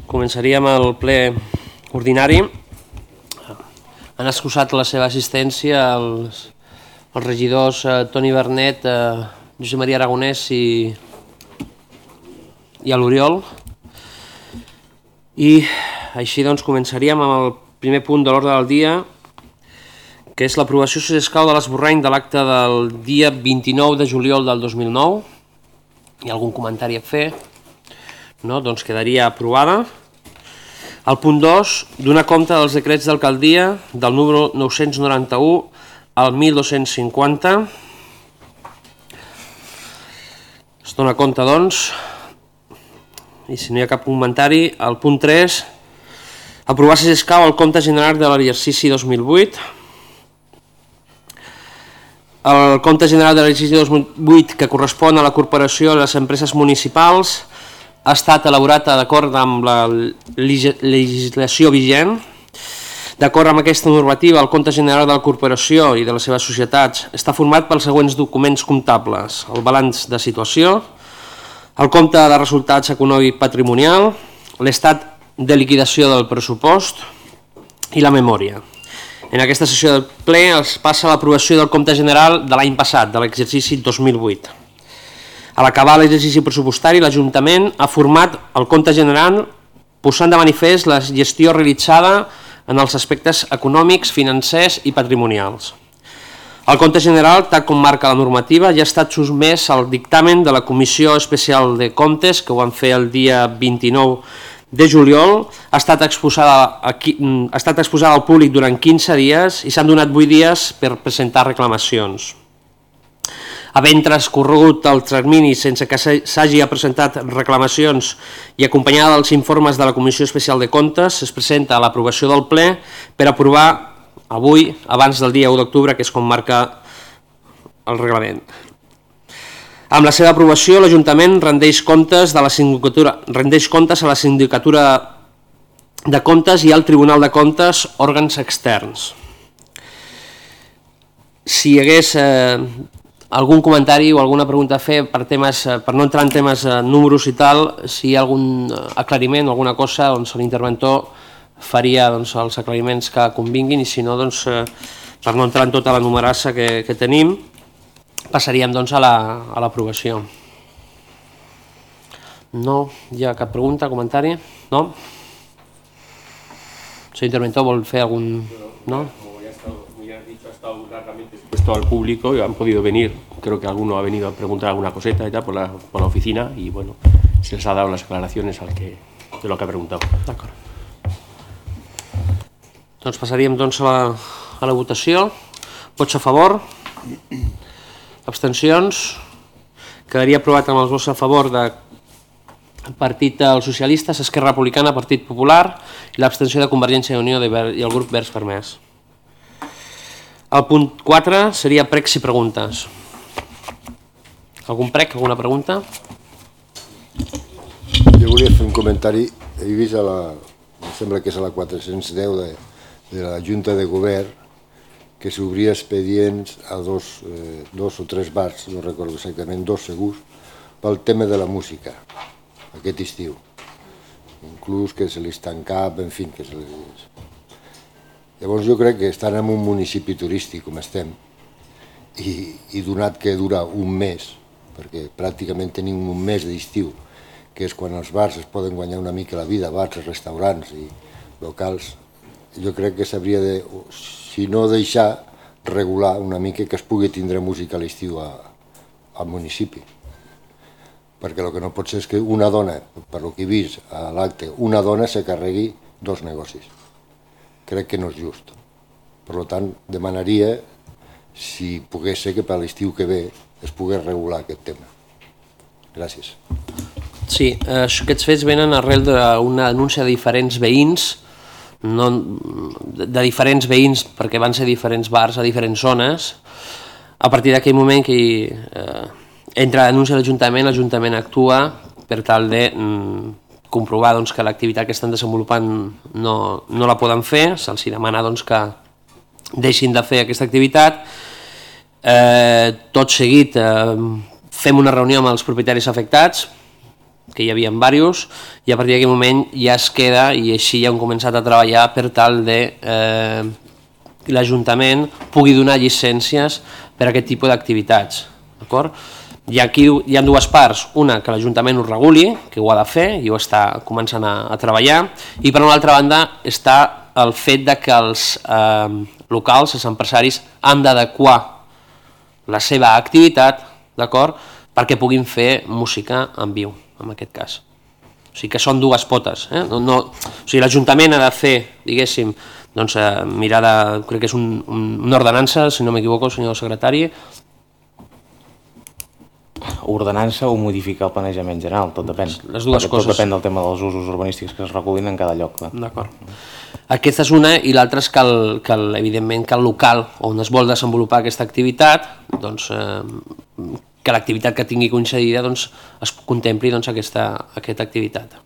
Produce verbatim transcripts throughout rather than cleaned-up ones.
Començaríem el ple ordinari. Han excusat la seva assistència els, els regidors eh, Toni Bernet, eh, Josep Maria Aragonès i, i a l'Oriol. I així doncs començaríem amb el primer punt de l'ordre del dia, que és l'aprovació, si escau, de l'esborrany de l'acte del dia vint-i-nou de juliol del dos mil nou. Hi ha algun comentari a fer? No, doncs quedaria aprovada. El punt dos, donar compte dels decrets d'alcaldia del número nou-cents noranta-u al mil dos-cents cinquanta. Es dona compte, doncs, i si no hi ha cap comentari, el punt tres, aprovar si escau el compte general de l'exercici dos mil vuit. El compte general de l'exercici dos mil vuit, que correspon a la corporació i les empreses municipals, ha estat elaborat d'acord amb la legislació vigent. D'acord amb aquesta normativa, el compte general de la corporació i de les seves societats està format pels següents documents comptables: el balanç de situació, el compte de resultats econòmic patrimonial, l'estat de liquidació del pressupost i la memòria. En aquesta sessió del ple es passa l'aprovació del compte general de l'any passat, de l'exercici dos mil vuit. A l'acabar l'exercici pressupostari, l'Ajuntament ha format el compte general posant de manifest la gestió realitzada en els aspectes econòmics, financers i patrimonials. El compte general, tal com marca la normativa, ja ha estat sotmès al dictamen de la Comissió Especial de Comptes, que ho van fer el dia vint-i-nou de juliol, ha estat exposada, aquí, ha estat exposada al públic durant quinze dies i s'han donat vuit dies per presentar reclamacions. Havent transcorregut el termini sense que s'hagi presentat reclamacions i acompanyada dels informes de la Comissió Especial de Comptes, es presenta a l'aprovació del ple per aprovar avui, abans del dia u d'octubre, que és com marca el reglament. Amb la seva aprovació, l'Ajuntament rendeix comptes, de la sindicatura, rendeix comptes a la Sindicatura de Comptes i al Tribunal de Comptes, òrgans externs. Si hi hagués eh, algun comentari o alguna pregunta a fer per, temes, per no entrar en temes eh, números i tal, si hi ha algun aclariment o alguna cosa, doncs l'interventor faria doncs, els aclariments que convinguin, i si no, doncs, eh, per no entrar en tota la numerassa que, que tenim, passaríem doncs, a l'aprovació. No hi ha cap pregunta, comentari? No? El senyor interventor vol fer algun... No? Esto al público y han podido venir, creo que alguno ha venido a preguntar alguna coseta y tal por la, por la oficina y bueno, se les ha dado las aclaraciones al que, de lo que ha preguntado. D'acord. Doncs passaríem doncs, a, la, a la votació. Vots a favor? Abstencions? Quedaria aprovat amb els vots a favor de Partit dels Socialistes, Esquerra Republicana, Partit Popular i l'abstenció de Convergència i Unió i el grup Verds Fermès. El punt quatre seria pregs i preguntes. Algun prec, alguna pregunta? Jo volia fer un comentari. He vist a la, em sembla que és a la quatre-cents deu de, de la Junta de Govern, que s'obria expedients a dos, eh, dos o tres bars, no recordo exactament, dos segurs, pel tema de la música, aquest estiu. Inclús que se li tancava, en fi, que se li... Llavors jo crec que estan en un municipi turístic com estem i, i donat que dura un mes, perquè pràcticament tenim un mes d'estiu, que és quan els bars es poden guanyar una mica la vida, bars, restaurants i locals, jo crec que s'hauria de, si no deixar, regular una mica que es pugui tindre música a l'estiu al municipi. Perquè el que no pot ser és que una dona, per lo que he vist a l'acte, una dona se carregui dos negocis. Crec que no és just. Per tant, demanaria si pogués ser que per l'estiu que ve es pogués regular aquest tema. Gràcies. Sí, aquests fets venen arrel d'una denúncia de diferents veïns, no, de diferents veïns perquè van ser diferents bars a diferents zones. A partir d'aquell moment que eh, entra la denúncia a l'Ajuntament, l'Ajuntament actua per tal de... Mm, comprovar doncs, que l'activitat que estan desenvolupant no, no la poden fer, se'ls demana doncs, que deixin de fer aquesta activitat. Eh, tot seguit eh, fem una reunió amb els propietaris afectats, que hi havia diversos, i a partir d'aquell moment ja es queda, i així ja hem començat a treballar per tal de eh, l'Ajuntament pugui donar llicències per a aquest tipus d'activitats, d'acord? I aquí hi ha dues parts, una que l'Ajuntament ho reguli, que ho ha de fer i ho està començant a, a treballar, i per una altra banda està el fet de que els eh, locals, els empresaris, han d'adequar la seva activitat, d'acord, perquè puguin fer música en viu, en aquest cas. O sigui que són dues potes. Eh? No, no, o sigui, l'Ajuntament ha de fer, diguéssim, doncs, eh, mirar de, crec que és un, un, una ordenança, si no m'equivoco, senyor secretari. Ordenança o modificar el planejament general, tot depèn. Les dues tot coses. depèn del tema dels usos urbanístics que es recullin en cada lloc. D'acord. Aquesta és una, i l'altra és que, el, que el, evidentment, que el local on es vol desenvolupar aquesta activitat, doncs, eh, que l'activitat que tingui concedida doncs, es contempli doncs, aquesta, aquesta activitat.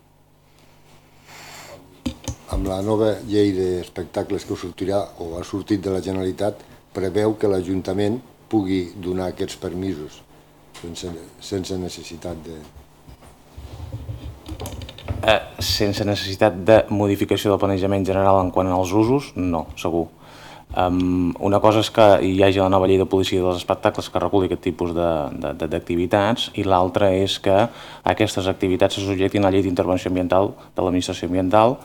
Amb la nova llei d'espectacles que sortirà o ha sortit de la Generalitat, preveu que l'Ajuntament pugui donar aquests permisos sense, sense necessitat de... Eh, sense necessitat de modificació del planejament general en quant als usos, no, segur. Um, una cosa és que hi hagi la nova llei de policia dels espectacles que reculli aquest tipus d'activitats, i l'altra és que aquestes activitats se subjectin a la llei d'intervenció ambiental de l'administració ambiental,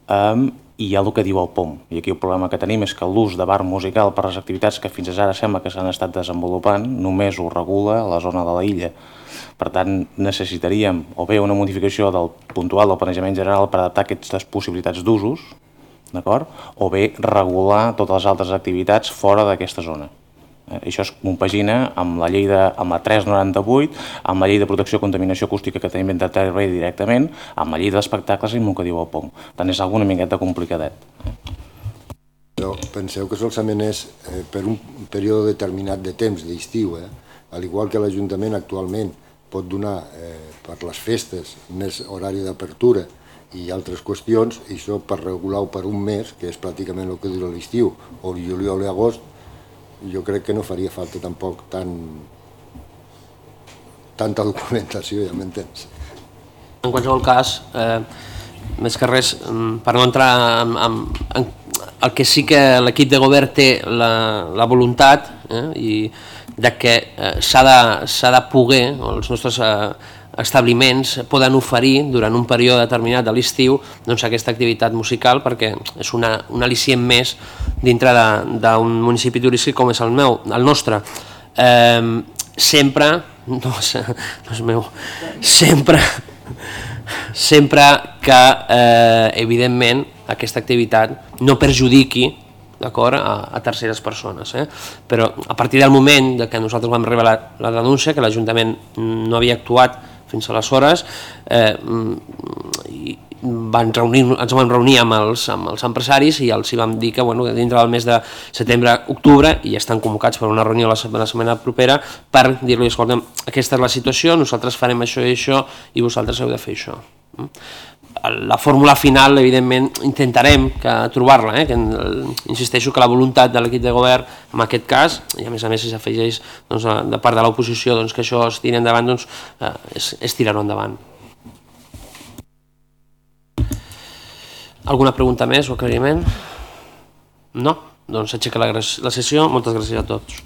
um, i hi ha el que diu el P O M. I aquí el problema que tenim és que l'ús de bar musical per les activitats que fins ara sembla que s'han estat desenvolupant només ho regula a la zona de la illa. Per tant, necessitaríem o bé una modificació del puntual del planejament general per adaptar aquestes possibilitats d'usos, d'acord? O bé regular totes les altres activitats fora d'aquesta zona. Eh, això es compagina amb la llei de, amb la tres noranta-vuit, amb la llei de protecció i contaminació acústica que tenim d'intervenir directament, amb la llei d'espectacles i amb el que diu el P O M. Per tant, és alguna miqueta complicadet. Però penseu que solament és eh, per un període determinat de temps, d'estiu, eh? Al igual que l'Ajuntament actualment pot donar eh, per les festes més horari d'apertura i altres qüestions, i això per regular-ho per un mes, que és pràcticament el que dura l'estiu, o el juliol i agost, jo crec que no faria falta tampoc tant, tanta documentació, ja m'entens. En qualsevol cas, eh, més que res, per no entrar en, en, en el que sí que l'equip de govern té la, la voluntat, eh, i de que eh, s'ha de, s'ha de poder, o els nostres eh, establiments poden oferir durant un període determinat de l'estiu doncs, aquesta activitat musical, perquè és una, un al·licient més dintre d'un municipi turístic com és el meu, el nostre. Eh, sempre, no, no és meu, sempre, sempre que, eh, evidentment, aquesta activitat no perjudiqui, d'acord, a, a terceres persones. Eh? Però a partir del moment de que nosaltres vam rebre la, la denúncia, que l'Ajuntament no havia actuat fins aleshores, eh, i van reunir, ens vam reunir amb els, amb els empresaris i els hi vam dir que, bueno, que dintre del mes de setembre-octubre, i estan convocats per una reunió la setmana, la setmana propera, per dir-li, escolta'm, aquesta és la situació, nosaltres farem això i això i vosaltres heu de fer això. La fórmula final, evidentment, intentarem trobar-la, eh? que, insisteixo que la voluntat de l'equip de govern, en aquest cas, i a més a més si s'afegeix doncs, de part de l'oposició doncs, que això es tiri endavant, doncs, eh, és, és tirar-ho endavant. Alguna pregunta més o aclariment? No? Doncs aixeca la, la sessió. Moltes gràcies a tots.